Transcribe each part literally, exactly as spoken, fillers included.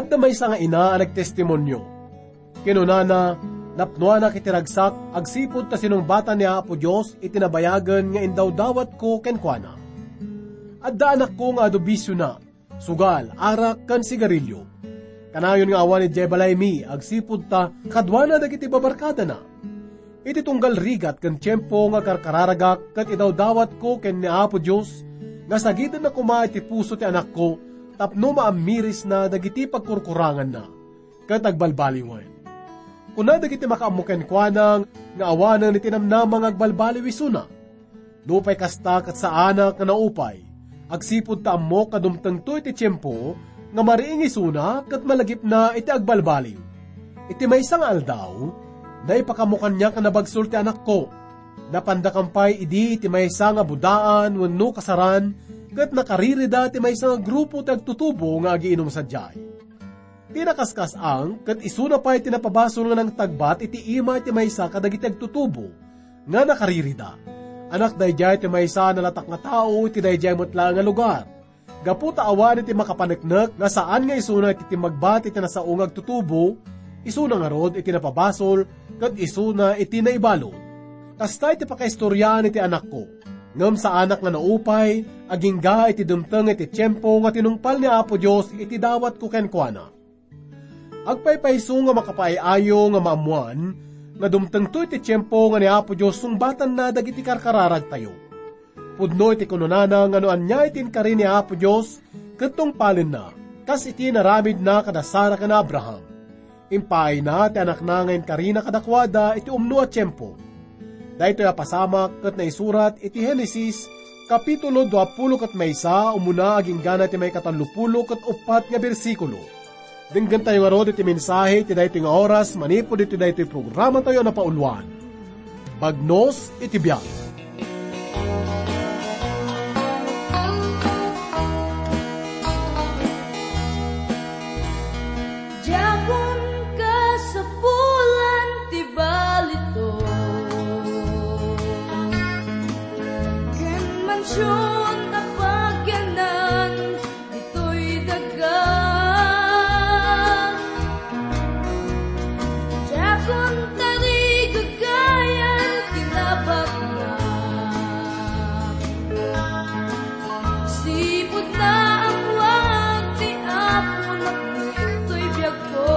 Adda maysa nga ina a nagtestimonio. Kinunana, "Napnoanak iti ragsak agsipud ta sinungbatan ni Apo Dios iti nabayagen nga indawdawatko kenkuana. Adda anakko nga adu bisiona, sugal, arak, ken sigarilio. Kanayon nga awan idiay balaymi agsipud ta kaduana dagiti babarkadana. Iti tunggal rigat ken tiempo nga karkararagak ket idawdawatko ken ni Apo Dios nga sagidenda koma iti puso ti anakko tapno maammirisna dagiti pagkurkuranganna ket agbalbaliwen." Kuna dagiti makaammo kenkuana nga awanen iti namnama nga agbalbaliw isuna. Nupay kasta, ket saanak nga naupay, agsipud ta ammok nga dumtengto iti tiempo nga mariing isuna ket malagipna iti agbalbaliw. Iti maysa nga aldaw, naipakaammo kaniak a nabagsol ti anakko. Napanda kan pay idi iti maysa nga budaan wenno kasaran ket nakaririda ti maysa nga grupo ti agtutubo nga agiinum sadiay. Ti nakaskas-ang ket isuna pay ti napabasol nga nangtagbat iti ima ti maysa kadagiti agtutubo nga nakaririda. Anak daydiay ti maysa a nalatak nga tao iti daydiay met laeng a lugar. Gapu ta awan iti makapaneknek nga saan nga isuna iti timmagbat iti nasao nga agtutubo, isuna ngarud iti napabasol, ket isuna iti naibalud. Kasta iti pakaistoriaan iti anakko. Ngem saanak nga naupay, agingga iti dumteng iti tiempo nga tinungpal ni Apo Dios iti dawatko kenkuana. Agpaypayso nga makapaay-ayo nga maammoan nga dumtengto iti tiempo nga ni Apo Dios sungbatanna dagiti karkararagtayo. Pudno iti kunanana nga no ania iti inkari ni Apo Dios ket tungpalenna, kas iti naramidna kada Sara ken Abraham. Impaayna ti anakna nga inkarina kadakuada iti umno a tiempo. Daytoy a pasamak ket naisurat iti Genesis, kapitulo duapulo ket maysa, umuna agingga iti maikatallopulo ket uppat nga bersikulo. Denggentayo ngarud iti mensahe iti daytoy nga oras manipud iti daytoy programatayo a napauluan, Bagnos iti Biag. Diakon kasapulan ti balitok, ken mansion a pagyanan ditoy daga. Diakon tarigagayan ti nabagna. Sipud naammoak ti Apo, napnektoy biagko.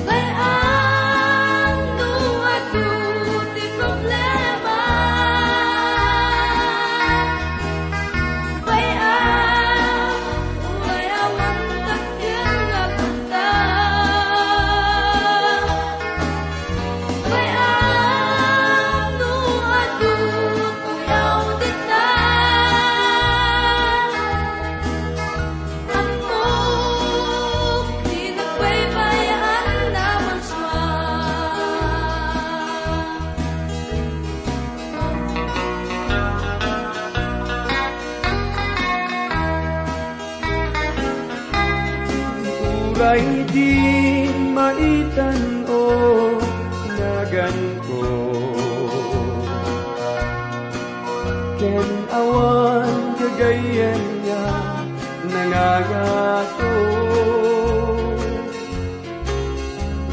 Bay-am no adu ti problema. Bay-am, uray awan dakkel nga kwarta. Bay-am no adu, uyaw dita. Ammok ti nagbaybay-an a marsua. Uray di maitan, o, naganko. Ken awan gagayyem nga nangangato.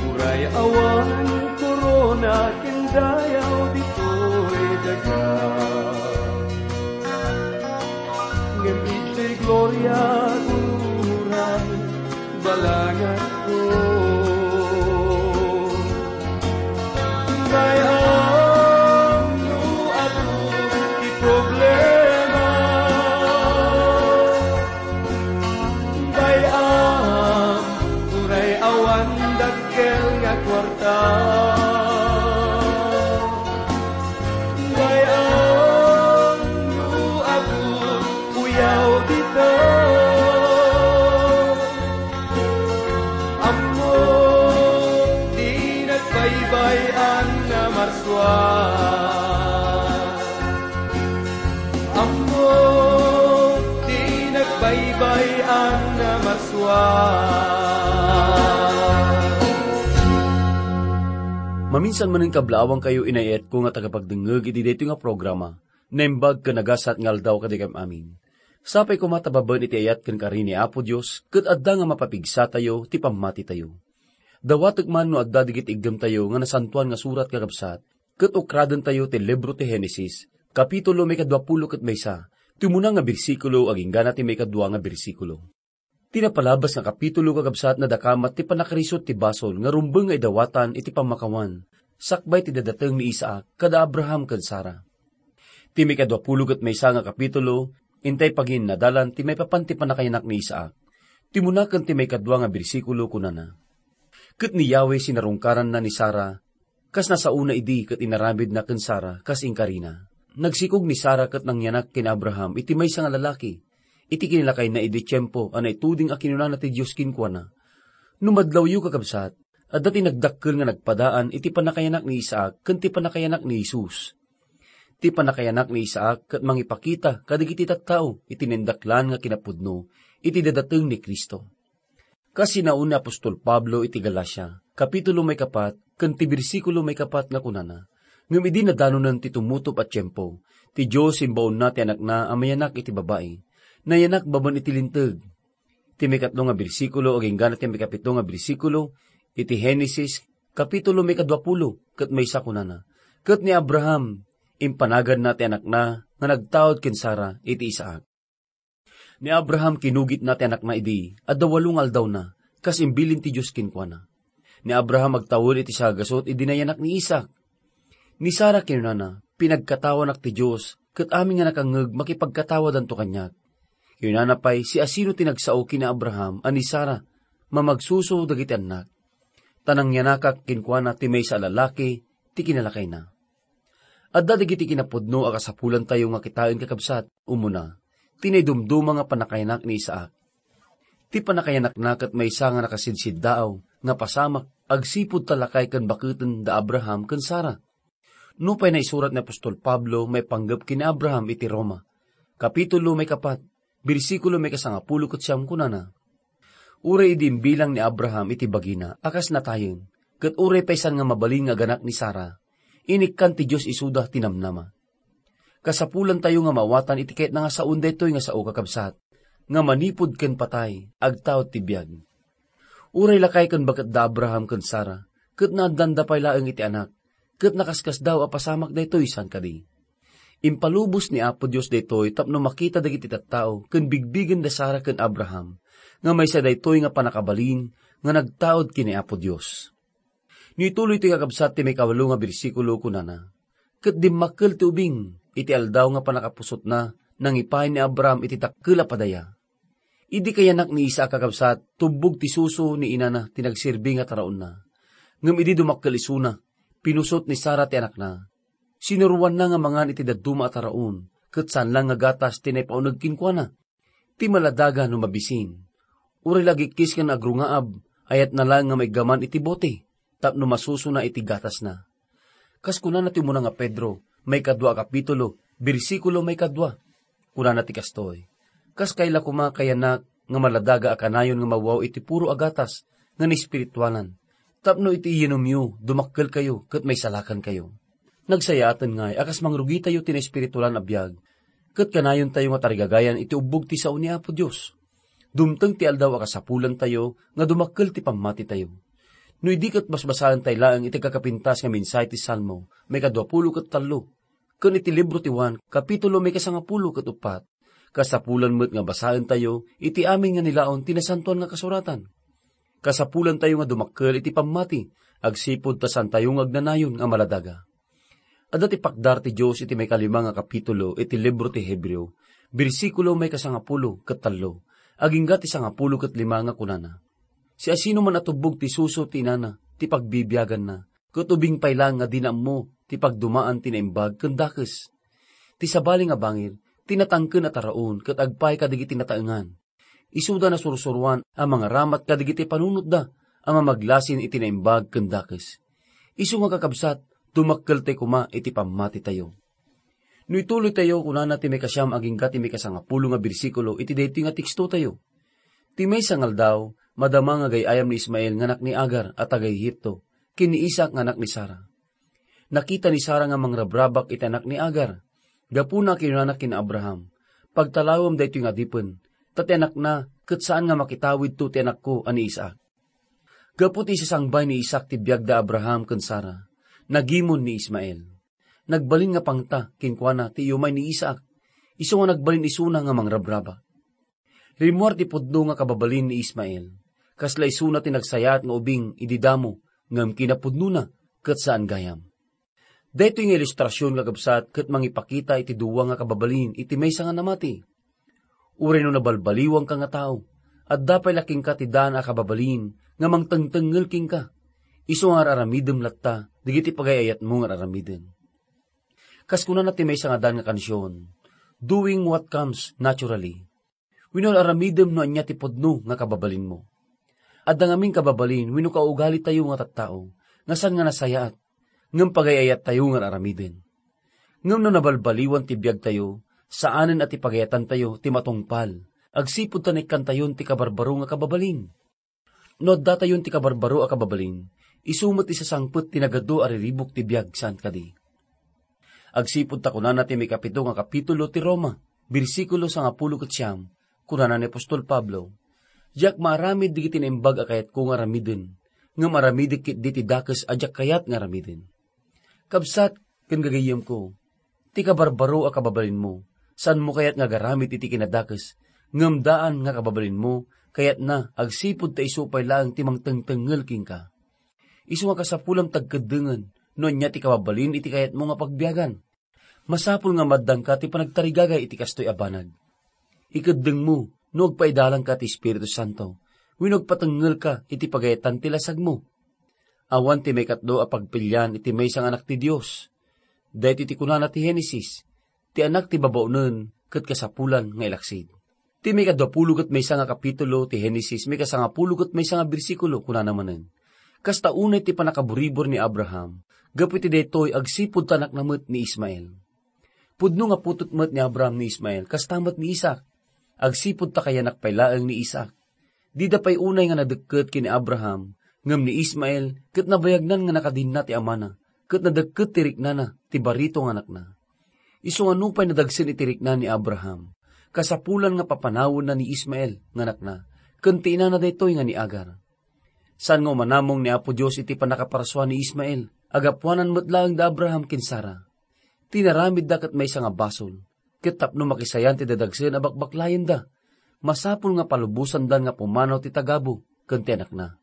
Uray awan korona ken dayaw ditoy daga. Ngem iti gloria uray balanganko. Bay-am no adu ti problema. Bay-am, uray awan dakkel nga kuarta. Bay-am no adu uyaw dita. Ammok ti nagbaybay-an a marsua. Ammok ti nagbaybay-an a marsua. Maminsan manen, kablaawangkayo, inayatko nga tagapagdengngeg iti daytoy nga programa. Naimbag ken nagasat nga aldaw kadagitoy amin. Sapay koma ta babaen iti ayat ken kari ni Apo Dios ket adda nga mapapigsatayo ti pammatitayo. Dawatek man no adda dagiti iggemtayo nga Nasantoan nga Surat, kakabsat, ket ukradentayo ti libro ti Genesis, kapitulo maikadua pulo ket maysa, ti umuna nga bersikulo agingga na ti maikadua nga bersikulo. Ti napalabas nga kapitulo, kakabsat, nadakamat ti pannakarisut ti basol nga rumbeng nga idawatan iti pammakawan, sakbay ti dadateng ni Isaac kada Abraham ken Sara. Ti maikadua pulo ket maysa nga kapitulo, intay paginnadalan ti maipapan ti pannakayanak ni Isaac. Ti umuna ken ti maikadua nga bersikulo, kunana, "Ket ni Yahweh sinarungkaranna ni Sara, kas nasaona idi ket inaramidna ken Sara kas inkarina. Nagsikog ni Sara ket nangyanak ken Abraham iti maysa nga lalaki, iti kinalakayna idi tiempo a naituding a kinunana ti Dios kenkuana, 'No madlawyo, kakabsat, adda ti nagdakkel nga nagpadaan iti pannakayanak ni Isaac ken ti pannakayanak ni Jesus.' Ti pannakayanak ni Isaac ket mangipakita kadagiti tattao iti naindaklan nga kinapudno iti dadateng ni Cristo." Kas sinaon ni apostol Pablo iti Galacia, kapitulo maikapat ken ti bersikulo maikapat nga kunana, "Ngem idi nadanonen ti tumutop a tiempo, ti Dios imbaonna ti Anakna a mayanak iti babai. Nayanak babaen iti Linteg." Ti maikatlo nga bersikulo agingga na ti maikapito nga bersikulo iti Genesis, kapitulo maikadua pulo ket maysa, kunana, "Ket ni Abraham, impanaganna ti anakna nga nagtaud ken Sara iti Isaac." Ni Abraham kinugitna ti anakna idi adda walo nga aldawna, kas imbilin ti Dios kenkuana. Ni Abraham agtawen iti sagasut idi nayanak ni Isaac. Ni Sara kinunana, "Pinagkatawanak ti Dios, ket amin nga nakangngeg makipagkatawadanto kaniak." Kinunana pay, "Siasino ti nagsao ken ni Abraham a ni Sara? Mamagsuso dagiti annak. Ta nangyanakak kenkuana ti maysa a lalaki ti kinalakayna." Adda dagiti kinapudno a kasapulantayo nga kitaen, kakabsat. Umuna, ti naidumduma nga pannakayanak ni Isaac. Ti pannakayanakna ket maysa nga nakasidsiddaaw nga pasamak agsipud ta lakay ken baketen da Abraham ken Sara. Nupay naisurat ni apostol Pablo maipanggep ken ni Abraham iti Roma, kapitulo maikapat, bersikulo maikasangapulo ket siam, kunana, "Uray idi imbilang ni Abraham iti bagina a kas natayen, ket uray pay saan nga mabalin nga aganak ni Sara, inikkan ti Dios isuda ti namnama." Kasapulantayo nga maawatan iti kayatna nga saon daytoy nga sao, kakabsat, nga manipud ken patay, agtaud ti biag. Uray lakay ken baket da Abraham ken Sara, ket naaddanda pay laeng iti anak, ket nakaskasdaaw a pasamak daytoy, saan kadi? Impalubos ni Apo Dios daytoy tapno makita dagiti tattao ken bigbigen da Sara ken Abraham nga maysa daytoy nga pannakabalin nga nagtaud ken ni Apo Dios. No ituloytoy, kakabsat, ti maikawalo nga bersikulo, kunana, "Ket dimmakkel ti ubing iti aldaw nga pannakapusotna, nangipaay ni Abraham iti dakkel a padaya." Idi kayanak ni Isaac, kakabsat, tubbog ti suso ni inana ti nagserbi nga taraonna. Ngem idi dumakkel isuna, pinusot ni Sara ti anakna. Sinuroanna nga mangan iti dadduma a taraon, ket saan laeng nga gatas ti naipauneg kenkuana. Ti maladaga no mabisin, uray la agikkis ken agrungaab, ayatna laeng nga maiggaman iti bote tapno masusona iti gatasna. Kas kunana ti umuna nga Pedro, maikadua a kapitulo, bersikulo maikadua, kunana ti kastoy, "Kas kayla koma, kayanak, nga maladaga a kanayon nga mawaw iti puro a gatas nga naespirituanan, tapno iti iyanumyo, dumakkelkayo ket maisalakankayo." Nagsayaaten ngay a kas mangrugitayo ti naespiritualan a biag, ket kanayontayo nga tarigagayan iti ubbog ti sao ni Apo Dios. Dumteng ti aldaw a kasapulantayo nga dumakkel ti pammatitayo. No idi ket basbasaentay laeng iti kakapintas nga mensahe ti Salmo maikadua pulo ket tallo, ken iti libro ti Juan, kapitulo maikasangapulo ket uppat, kasapulan met nga basaentayo iti amin nga nilaon ti Nasantoan nga Kasuratan. Kasapulantayo nga dumakkel iti pammati agsipud ta saantayo nga agnanayon nga maladaga. Adda ti pakdar ti Dios iti maikalima nga kapitulo iti libro ti Hebreo, bersikulo maikasangapulo ket tallo, agingga ti sangapulo ket lima nga kunana, "Siasino man a tubbog ti suso ti inana ti pagbibiaganna, ket ubing pay laeng nga dina ammo ti pagdumaan ti naimbag ken dakes." Ti sabali nga bangir, ti natangken a taraon ket agpaay kadagiti nataengan. Isuda nasursuroan a mangaramat kadagiti panunotda a mamaglasin iti naimbag ken dakes. Isu nga, kakabsat, dumakkeltay koma iti pammatitayo. No ituloytayo, kunana ti maikasiam agingga ti maikasangapulo nga bersikulo iti daytoy nga tekstotayo, "Ti maysa nga aldaw, madama nga gay-ayam ni Ismael nga anak ni Agar a taga-Egipto ken ni Isaac nga anak ni Sara. Nakita ni Sara nga mangrabrabak iti anak ni Agar. Gapuna, kinunana ken Abraham, Pagtalawem daytoy nga adipen, ta ti anakna ket saan nga makitawidto ti anakko a ni Isaac. Gapu ti isasangbay ni Isaac ti biag da Abraham ken Sara, nagimon ni Ismael. Nagbalin nga pangta kenkuana ti iyumay ni Isaac, isu nga nagbalin isuna nga mangrabraba. Rimmuar ti pudno nga kababalin ni Ismael. Kasla isuna ti nagsayaat nga ubing idi damo, ngem kinapudnona ket saan gayam. Daytoy nga ilustrasion, kakabsat, ket mangipakita iti dua nga kababalin iti maysa nga namati. Uray no nabalbaliwangka nga tao, adda pay la kenka ti daan a kababalin nga mangtengtengngel kenka. Isu nga ar-aramidem latta dagiti pagay-ayatmo nga ar-aramiden. Kas kunana ti maysa nga daan nga kansion, "Doing what comes naturally." Wenno ar-aramidem no ania ti pudno nga kababalinmo. Adda ngamin kababalin wenno kaugalitayo nga tattao nga saan nga nasayaat, ngem pagay-ayattayo nga ar-aramiden. Ngem no nabalbaliwan ti biagtayo, saanen a ti pagayatantayo ti matungpal, agsipud ta naikkantayon ti kabarbaro nga kababalin. No addatayon ti kabarbaro a kababalin, isu met ti sasangpet ti nagadu a riribuk ti biag, saan kadi? Agsipud ta kunana ti maikapito nga kapitulo ti Roma, bersikulo sangapulo ket siam, kunana ni apostol Pablo, "Diak maaramid dagiti naimbag a kayatko nga aramiden, ngem aramidek ketdi ti dakes a diak kayat nga aramiden." Kabsat ken gagayyemko, ti kabarbaro a kababalinmo, saanmo kayat nga agaramid iti kinadakes, ngem daan nga kababalinmo, kayatna agsipud ta isu pay laeng ti mangtengtengngel kenka. Isu nga kasapulam ti agkeddengen no ania ti kababalin iti kayatmo nga pagbiagan. Masapul nga maaddanka ti panagtarigagay iti kastoy a banag. Ikeddengmo no agpaidalangka ti Espiritu Santo wenno agpatengngelka iti pagayatan ti lasagmo. Awan ti maikatlo a pagpilian iti maysa nga anak ti Dios. Daytoy ti kunana ti Genesis, "Ti anak ti babaonen ket kasapulan nga ilaksid." Ti maikadua pulo ket maysa nga kapitulo ti Genesis, maikasangapulo ket maysa nga bersikulo, kunana manen, "Kasta unay ti pannakaburibor ni Abraham, gapu iti daytoy agsipud ta anakna met ni Ismael." Pudno nga putot met ni Abraham ni Ismael, kasta met ni Isaac. Agsipud ta kayanak pay laeng ni Isaac. Dida pay unay nga nadekket ken ni Abraham, ngem ni Ismael ket nabayagnan nga nakadinna ti amana, ket nadekket ti riknana, ti barito nga anakna. Isu nga nupay nadagsen iti rikna ni Abraham, kasapulan nga papanawenna ni Ismael nga anakna, ken ti inana daytoy nga ni Agar. Saan nga umanamong ni Apo Dios iti pannakaparsua ni Ismael, agapuanan met laeng da Abraham ken Sara. Ti inaramidda ket maysa nga basol, ket tapno makisayan ti dadagsen a bakbaklayenda, masapul nga palubosandan nga pumanaw ti tagabu ken ti anakna.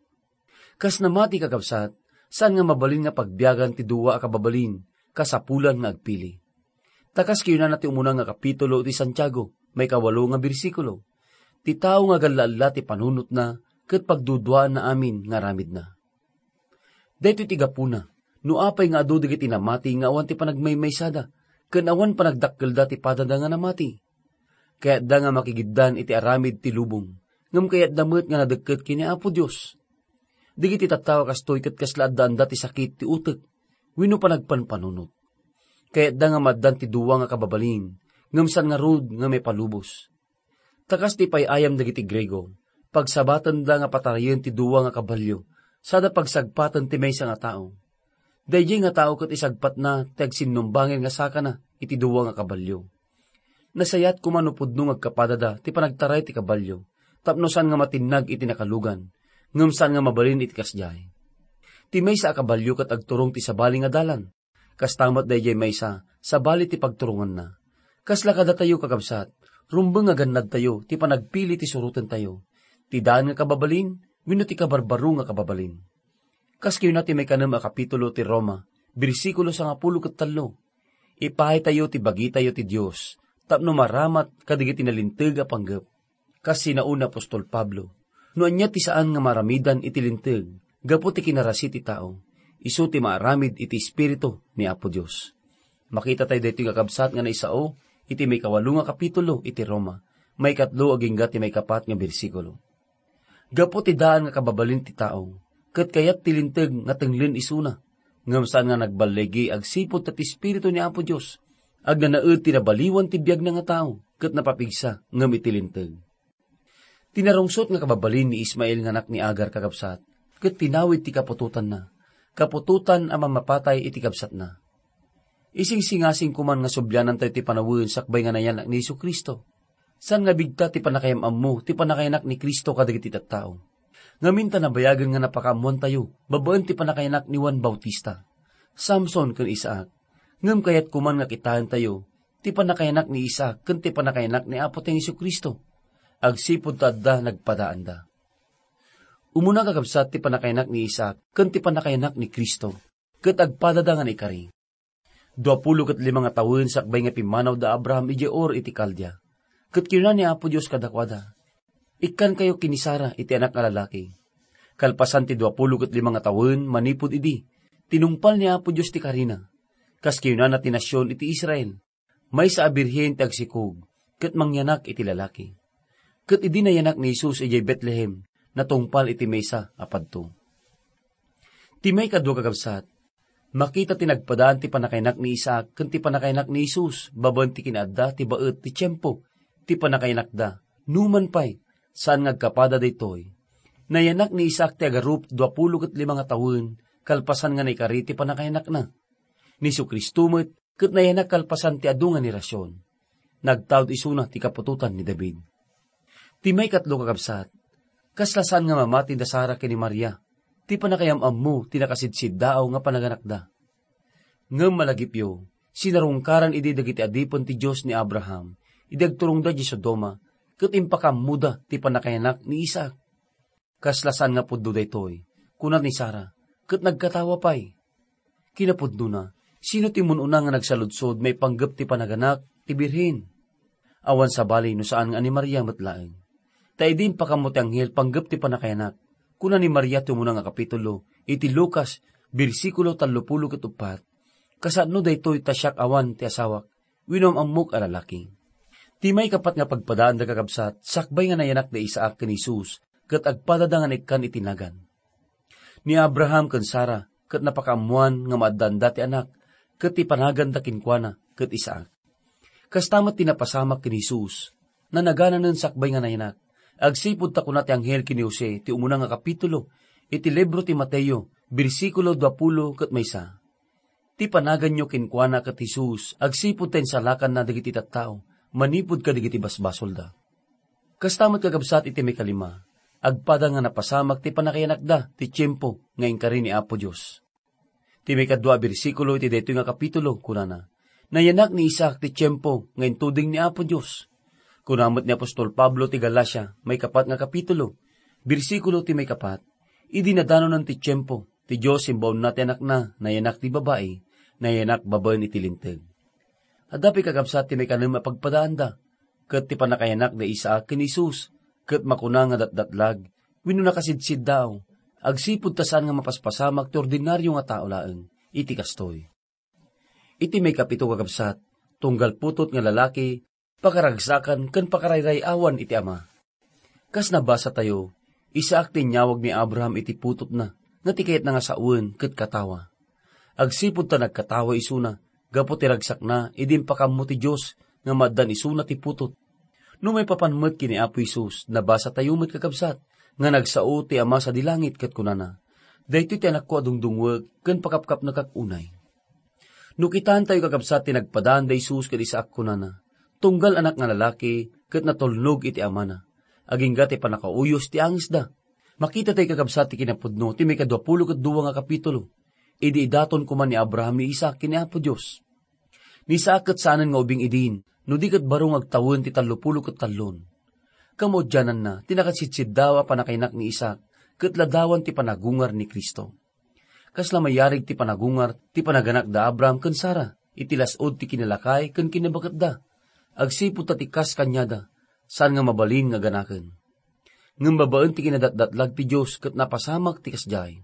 Kas namati, kakabsat, saan nga mabalin nga pagbiagan ti dua a kababalin, kasapulan nga agpili. Ta kas kinunana ti umuna nga kapitulo ti Santiago, maikawalo nga bersikulo, "Ti tao nga agalla-alla ti panunotna ket pagduduaanna amin nga aramidna." Daytoy ti gapuna, no apay nga adu dagiti namati nga awan ti panagmaymaysada, ken awan panagdakkelda ti padada nga namati. Kayatda nga makigiddan iti aramid ti lubong, ngem kayatda met nga nadekket ken ni Apo Dios. Dagiti tattao a kastoy ket kasla addaanda ti sakit ti utek wenno panagpanpanunot. Kayatda nga maaddan ti dua nga kababalin, ngem saan ngarud nga maipalubos. Ta kas ti pay-ayam dagiti Griego, pagsabatenda nga patarayen ti dua nga kabalio, sada pagsagpaten ti maysa nga tao. Daydiay nga tao ket isagpatna ti agsinnumbangen nga sakana iti dua nga kabalio. Nasayaat koma no pudno nga agkapadada ti panagtaray ti kabalio, tapno saan nga matinnag iti nakalugan, ngem saan nga mabalin iti kasdiay. Ti maysa a kabalio ket agturong ti sabali nga dalan. Kasta met daydiay maysa, sabali ti pagturonganna. Kasla kadatayo, kakabsat, rumbeng nga gannadtayo ti panagpili ti surotentayo, ti daan nga kababalin wenno ti kabarbaro nga kababalin. Kas kinuna ti maikanem a kapitulo ti Roma, bersikulo sangapulo ket tallo, "Ipahaytayo ti bagitayo ti Dios tapno maramat kadagiti nalinteg a panggep." Kas sinaon ni apostol Pablo, no ania ti saan nga maaramidan iti linteg gapu ti kinarasi ti tao, isu ti maaramid iti Espiritu ni Apo Dios. Makita tayo daytoy nga kabsat nga naisao iti maikawalo nga kapitulo iti Roma, maikatlo agingga ti maikapat nga bersikulo. Gapu ti daan nga kababalin ti tao, ket kayat ti linteg nga tenglen isuna, ngem saan nga nagballigi agsipud ta ti Espiritu ni Apo Dios agnanaed ti nabaliwan ti biagna nga tao ket napapigsa ngem iti linteg. Ti narungsot nga kababalin ni Ismael nga anak ni Agar, kakabsat, ket tinawid ti kaputotanna, kaputotan a mammapatay iti kabsatna. Isingsingasing koman nga sublianantayo ti panawen sakbay nga nayanak ni Jesu-Cristo. Saan nga bigta ti pannakayam-ammo ti pannakayanak ni Cristo kadagiti tattao. Ngamin ta nabayagen nga napakaammoantayo babaen ti pannakayanak ni Juan Bautista, Samson ken Isaac. Ngem kayat koman nga kitaentayo ti pannakayanak ni Isaac ken ti pannakayanak ni Apotayo Jesu-Cristo agsipud ta adda nagpadaanda. Umuna, kakabsat, ti pannakayanak ni Isaac ken ti pannakayanak ni Cristo, ket agpadada nga naikari. Duapulo ket lima nga tawen sakbay nga pimmanaw da Abraham idiay Ur iti Caldea, ket kinuna ni Apo Dios kadakuada, "Ikkankayo ken ni Sara iti anak nga lalaki." Kalpasan ti duapulo ket lima nga tawen manipud idi, tinungpal ni Apo Dios ti karina. Kas kinunana ti nasion iti Israel, maysa a birhen ti agsikog ket mangyanak iti lalaki. Ket idi nayanak ni Jesus idiay Betlehem, natungpal iti maysa a padto. Ti maikadua, kakabsat, makita ti nagpadaan ti pannakayanak ni Isaac ken ti pannakayanak ni Jesus babaen ti kinaadda ti baet ti tiempo ti pannakayanakda. Numan pay, saan nga agkapada daytoy. Nayanak ni Isaac ti agarup duapulo ket lima nga tawen kalpasan nga naikari ti pannakayanakna. Ni Jesu-Cristo met ket nayanak kalpasan ti adu nga henerasion. Nagtaud isuna ti kaputotan ni David. Ti maikatlo, kakabsat, kasla saan nga mamati da Sara ken ni Maria ti pannakayam-ammo ti nakasidsiddaaw nga panaganakda. Ngem malagipyo, sinarungkaran idi dagiti adipen ti Dios ni Abraham idi agturongda idiay Sodoma ket impakaammoda ti pannakayanak ni Isaac. Kasla saan nga pudno daytoy, kuna ni Sara, ket nagkatawa pay. Kinapudnona, sino ti mun-una nga nagsaludsod maipanggep ti panaganak ti birhen? Awan sabali no saan nga ni Maria met laeng. Ta idi impakammo ti anghel panggep ti pannakayanak, kuna ni Maria ti umuna nga kapitulo iti Lucas, bersikulo tallopulo ket uppat, "Kasano daytoy ta siak awan ti asawak wenno am-ammok a lalaki?" Ti maikapat nga pagpadaanda, kakabsat, sakbay nga nayanak da Isaac ken Jesus, ket agpadada nga naikkan iti nagan. Ni Abraham ken Sara ket napakaammoan nga maaddaanda ti anak, ket ti panaganda kenkuana ket Isaac. Kasta met ti napasamak ken Jesus, nanagananen sakbay nga nayanak, agsipud ta kuna ti anghel ken ni Jose ti umuna nga kapitulo iti libro ti Mateo, bersikulo duapulo ket maysa. Ti panaganyo kenkuana ket Jesus agsipud ta insalakanna dagiti tattao manipud kadagiti basbasolda. Kasta met, kakabsat, iti maikalima, agpada nga napasamak ti pannakayanakda ti tiempo nga inkari ni Apo Dios. Ti maikadua a bersikulo iti daytoy nga kapitulo, kunana, "Nayanak ni Isaac ti tiempo nga intuding ni Apo Dios." Kuna met ni apostol Pablo ti Galacia, maikapat nga kapitulo, bersikulo ti maikapat, "Idi nadanonan ti tiempo, ti Dios imbaonna ti Anakna, nayanak ti babai, nayanak babaen iti Linteg." Adda pay, kakabsat, ti maikanem a pagpadaanda, ket ti pannakayanak da Isaac ken Jesus, ket makuna nga datdatlag wenno nakasidsiddaaw, agsipud ta saan nga mapaspasamak ti ordinario nga tao laeng iti kastoy. Iti maikapito, kakabsat, tunggal putot nga lalaki, pakaragsakan ken pakarayray-awan iti ama. Kas nabasatayo, Isaac ti inyawag ni Abraham iti putotna nga ti kayatna nga sawen ket katawa. Agsipud ta nagkatawa isuna gapu ti ragsakna idi impakammo ti Dios nga maaddan isuna ti putot. No maipapan met ken ni Apo Jesus, nabasatayo met, kakabsat, nga nagsao ti Ama sadi langit ket kunana, "Daytoy ti Anakko a dungdungwek ken pakapkapnekak unay." No kitaentayo, kakabsat, ti nagpadaan da Jesus ken Isaac, kunana, "Tunggal anak nga lalaki ket natulnog iti amana." Agingga ti pannakauyos ti angesda. Makitatayo, kakabsat, ti kinapudno ti maikadua pulo ket dua nga kapitulo. Idi idaton koma ni Abraham ni Isaac ken ni Apo Dios. Ni Isaac ket saanen nga ubing idin, no di ket baro nga agtawen ti tallopulo ket tallon. Kamaudiananna, ti nakasidsiddaaw a pannakainak ni Isaac ket ladawan ti panagungar ni Cristo. Kasla mayarig ti panagungar ti panaganak da Abraham ken Sara iti las-ud ti kinalakay ken kinabaketda, agsipud ta ti kas kaniada, saan nga mabalin nga ganaken. Ngem babaen ti kinadatdatlag ti Dios ket napasamak ti kasdiay.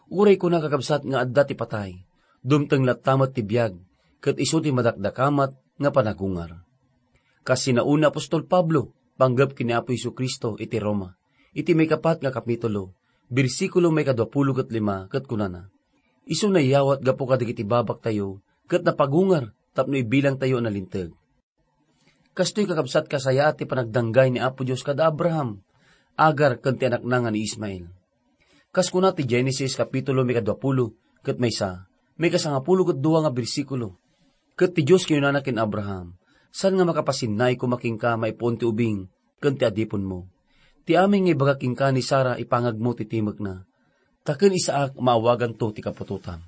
Uray kuna, kakabsat, nga adda ti patay, dumteng latta met ti biag, ket isu ti madakdakamat nga panagungar. Kas sinaon ni apostol Pablo, panggep ken ni Apo Jesu-Cristo iti Roma, iti maikapat nga kapitulo, bersikulo maikadua pulo ket lima, ket kunana, "Isu naiyawat gapu kadagiti babaktayo, ket napagungar tapno ibilangtayo a nalinteg." Kastoy, kakabsat, kasayaat ti panagdanggay ni Apo Dios kada Abraham, Agar, ken ti anakna nga ni Ismael. Kas kuna ti Genesis kapitulo maikadua pulo ket maysa, maikasangapulo ket dua nga bersikulo, "Ket ti Dios kinunana ken Abraham, Saan nga makapasinnai koma kenka maipuon ti ubing ken ti adipenmo. Ti amin nga ibaga kenka ni Sara ipangagmo ti timekna. Ta ken Isaac maawaganto ti kaputotam.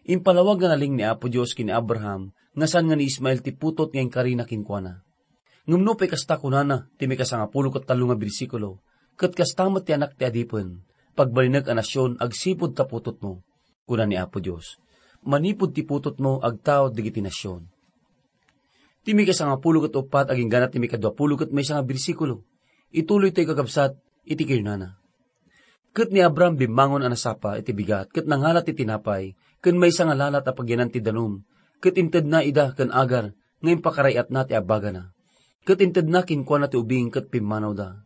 Impalawag nga nalinged ni Apo Dios ken ni Abraham nga saan nga ni Ismael ti putot nga inkarina kenkuana. Ngem nupay kasta, kunana ti maikasangapulo ket tallo nga bersikulo, "Ket kasta met ti anak ti adipen, pagbalinek a nasion agsipud ta putotmo," kuna ni Apo Dios. Manipud ti putotmo, agtaud dagiti nasion. Ti maikasangapulo ket uppat agingga ti maikaduapulo ket maysa nga bersikulo, ituloytayo, kakabsat, iti kinunana. Ket ni Abraham bimmangon a nasapa iti bigat ket nangalat ti tinapay ken maysa nga lalat a pagyanan ti danum, ket intedna ida ken Agar nga impakaray-atna ti abagana. Ket intedna kenkuana ti ubing ket pimmanawda.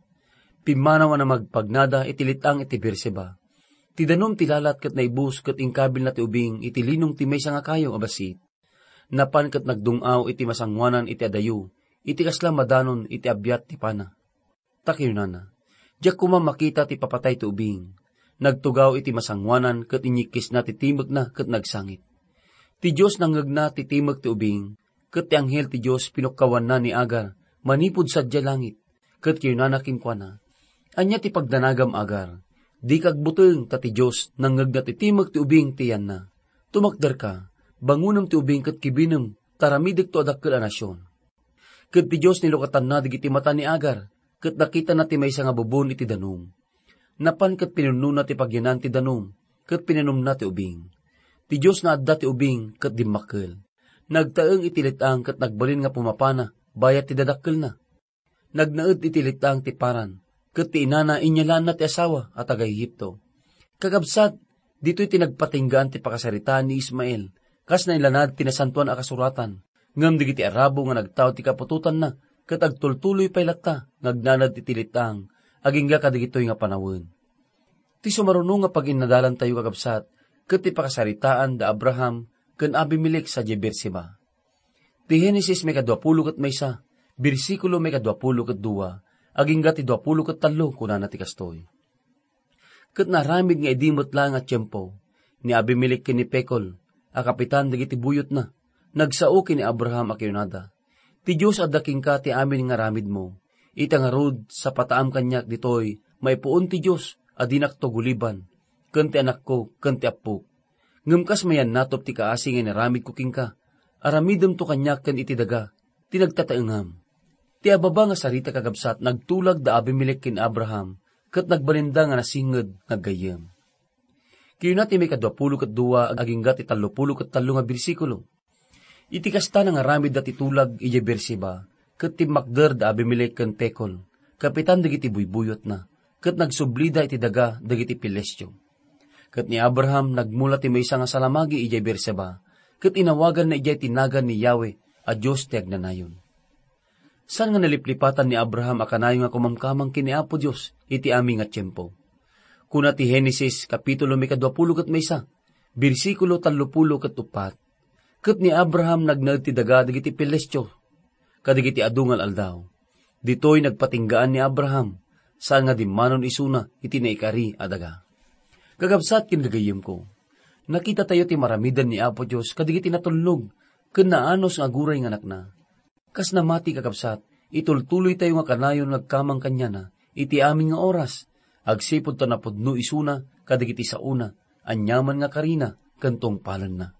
Pimmanaw a namagpagnada iti let-ang iti Beerseba. Ti danum ti lalat ket naibus ket inkabilna ti ubing iti linong ti maysa nga kayo a bassit. Napan ket nagdung-aw iti masangoanan iti adayo, iti kasla madanon iti abiat ti pana. Ta kinunana, "Diak koma makita ti papatay ti ubing." Nagtugaw iti masangoanan ket inyikkisna ti timekna ket nagsangit. Ti Dios nangngegna ti timek ti ubing, ket ti anghel ti Dios pinukkawanna ni Agar manipud sadiay langit, ket kinunana kenkuana, "Ania ti pagdanagam, Agar? Dika agbuteng, ta ti Dios nangngegna ti timek ti ubing ti yanna. Tumakderka, bangonem ti ubing ket kibinem, ta aramidekto a dakkel a nasion." Ket ti Dios nilukatanna dagiti mata ni Agar, ket nakitana ti maysa nga bubon iti danum. Napan ket pinunnona ti pagyanan ti danum, ket pinanumna ti ubing. Ti Dios naadda ti ubing ket dimmakkel. Nagtaeng iti let-ang ket nagbalin nga pumapana bayat ti dadakkelna. Nagnaed iti let-ang ti Paran, ket ti inana inyalaanna ti asawa a taga-Egipto. Kakabsat, ditoy ti nagpatinggaan ti pakasaritaan ni Ismael, kas nailanad ti Nasantoan a Kasuratan, ngem dagiti Arabo nga nagtaud ti kaputotanna ket agtultuloy pay latta nga agnanad iti let-ang agingga kadagitoy nga panawen. Ti sumaruno nga paginnadalantayo, kakabsat, ket ti pakasaritaan da Abraham ken Abimelec sadiay Beerseba. Ti Genesis maikaduapulo ket maysa, bersikulo maikaduapulo ket dua, agingga ti duapulo ket tallo, kunana ti kastoy. Ket naaramid nga idi met laeng a tiempo, ni Abimelec ken ni Pekol a kapitan dagiti buyotna, nagsao ken ni Abraham a kinunada, "Ti Dios adda kenka ti amin nga aramidmo. Ita ngarud, sapataam kaniak ditoy maipuon ti Dios a dinakto guliban, ken ti anakko ken ti appok. Ngem kas mayannatop ti kaasi nga inaramidko kenka, aramidemto kaniak ken iti daga ti nagtataengam." Ti ababa nga sarita, kakabsat, nagtulag da Abimelec ken Abraham, ket nagbalinda nga nasinged nga aggayyem. Kinuna ti maikaduapulo ket dua agingga ti tallopulo ket tallo nga bersikulo, "Iti kasta, nangaramidda ti tulag idiay Beerseba, ket timmakder da Abimelec ken Pekol, kapitan dagiti buybuyotna, ket nagsublida iti daga dagiti Filistio." Ket ni Abraham nagmula ti maysa nga salamagi idiay Beerseba, ket inawaganna idiay ti nagan ni Yahweh a Dios ti agnanayon. Saan nga naliplipatan ni Abraham a kanayon nga kumamkamang ken ni Apo Dios iti amin nga tiempo. Kuna ti Genesis, kapitulo maikaduapulo ket maysa, bersikulo tallopulo ket uppat, "Ket ni Abraham nagnaed ti daga dagiti Filistio kadagiti adu nga al-aldaw." Ditoy nagpatinggaan ni Abraham, saan nga dimmanon isuna iti naikari a daga. Kakabsat ken gagayyemko, nakitatayo ti maramidan ni Apo Dios kadagiti natulnog ken naanus nga aguray nga anakna. Kas namati, kakabsat, itultuloytayo nga kanayon nga agkamang kaniana iti amin nga oras, agsipud ta napudno isuna kadagiti saona, aniaman nga karina ken tungpalenna.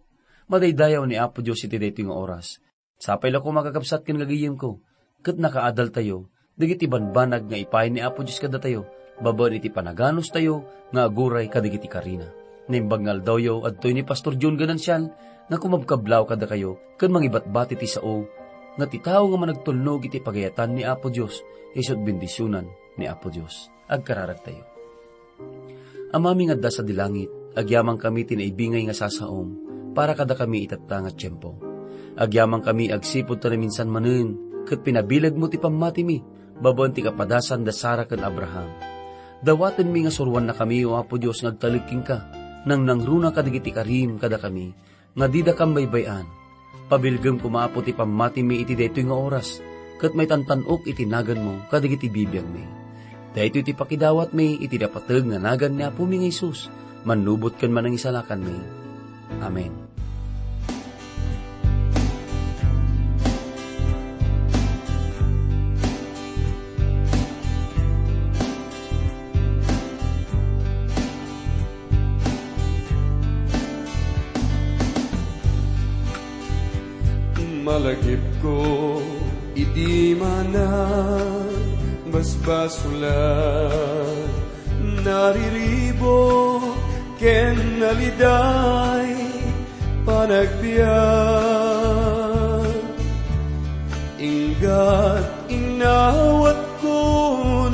Madaydayaw ni Apo Dios iti daytoy nga oras. Sapay la koma, kakabsat ken gagayyemko, ket nakaadaltayo dagiti banbanag nga ipaay ni Apo Dios kadatayo babaen iti panaganustayo nga aguray kadagiti karina. Naimbag nga aldawyo, adtoy ni Pastor John Ganancial nga kumabkablaw kadakayo ken mangibatbati ti sao nga ti tao nga managtulnog iti pagayatan ni Apo Dios, isu't bendisionan ni Apo Dios. Agkararagtayo. Amami nga adda sadi langit, agyamankami ti naibingay nga sasaom para kadakami itatta nga tiempo. Agyamankami agsipud ta naminsan manen ket pinabilegmo ti pammatimi babaen ti kapadasan da Sara ken Abraham. Dawatenmi nga suroannakami, O Apo Dios, nga agtalek kenka, nangnangruna kadagiti karim kadakami nga didakam baybay-an. Pabilgem koma, Apo, ti pammatimi iti daytoy nga oras, ket maitantan-ok iti naganmo kadagiti bibiagmi. Daytoy ti pakidawatmi iti napateg nga nagan ni Apomi nga Jesus, mannubot ken manangisalakanmi. Amen. Malagipko iti manang basbasulan, nariribuk ken naliday panagbiag. Inggat inawatko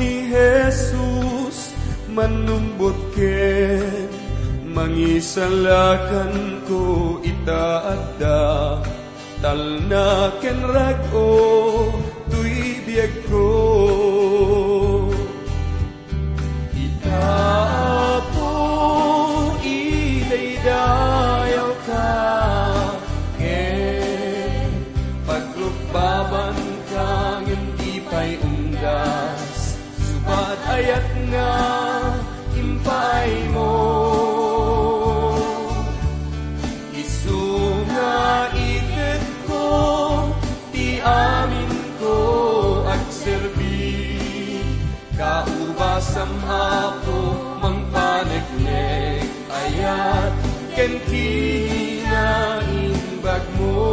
ni Jesus, mannumbot ken mangisalakanko ita adda. Talna ken rag-o toy biagko. Ita, Apo, idaydayawka, ken pagrukbabanka ngem di pay unggas. Subat ayat nga impaaymo, isu nga itedko ti aminko agserbi. Kaubasam, Apo, mangpaneknek, ayat ken kinaimbagmo.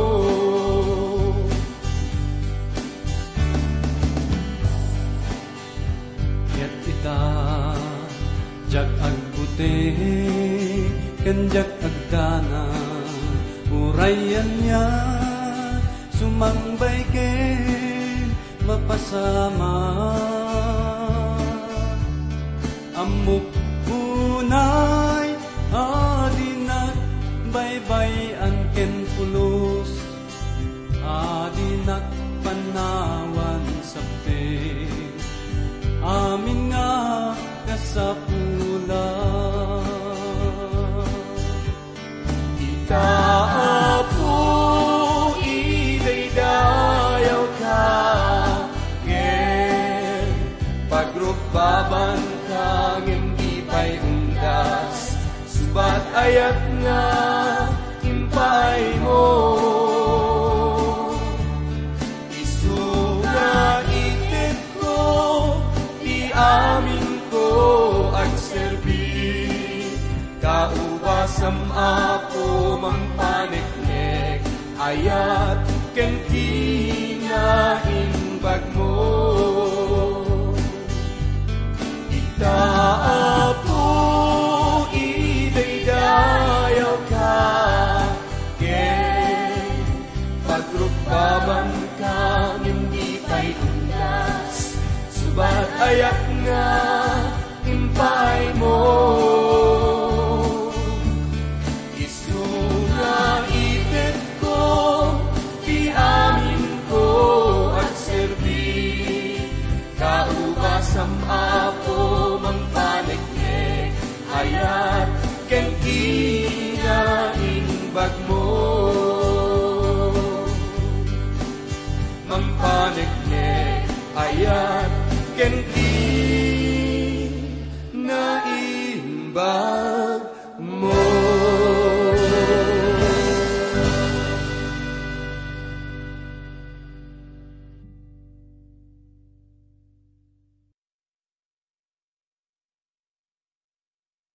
Ket ita, diak agbuti ken diak agdanag, uray ania sumangbay ken mapasamak. Ammok unay a dinak baybay-an ken pulos, a dinak pannawan sapte amin nga kasapulan. Ita, Apo, idaydayawka, ken pagrukbabanka ngem di pay unggas. Subat ayat nga impaaymo, isu nga itedko ti aminko agserbi. Kaubasam, Apo, mangpaneknek, ayat ken kinaimbagmo. Ita, Apo, idaydayawka, ken pagrukbabanka ngem di pay unggas. Subat ayat nga impaaymo, isu nga itedko ti aminko agserbi. Kaubasam, Apo, mangpaneknek, ayat ken kinaimbagmo. Mangpaneknek, ayat ken kinaimbagmo.